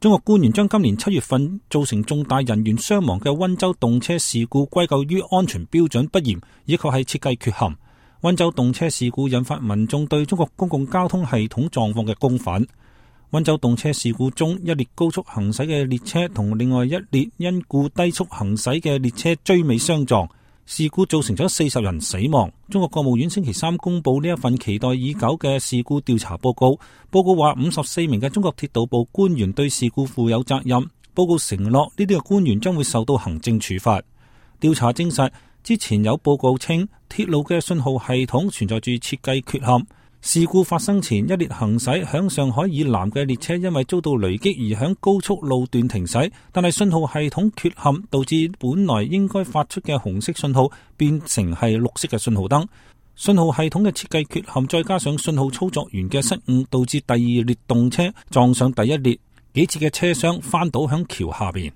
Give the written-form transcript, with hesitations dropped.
中國官員將今年7月份造成重大人員傷亡嘅溫州動車事故歸咎於安全標準不嚴，以及係設計缺陷。溫州動車事故引發民眾對中國公共交通系統狀況嘅公憤。溫州動車事故中，一列高速行駛嘅列車同另外一列因故低速行駛嘅列車追尾相撞，事故造成咗40人死亡。中國國務院星期三公布呢一份期待已久嘅事故調查報告。報告話54名嘅中國鐵道部官員對事故負有責任。報告承諾呢啲嘅官員將會受到行政處罰。調查證實，之前有報告稱鐵路嘅信號系統存在住設計缺陷。事故發生前，一列行駛響上海以南嘅列車因為遭到雷擊而響高速路段停駛，但係信號系統缺陷導致本來應該發出嘅紅色信號變成係綠色嘅信號燈。信號系統嘅設計缺陷再加上信號操作員嘅失誤，導致第二列動車撞上第一列，幾節嘅車廂翻倒響橋下邊。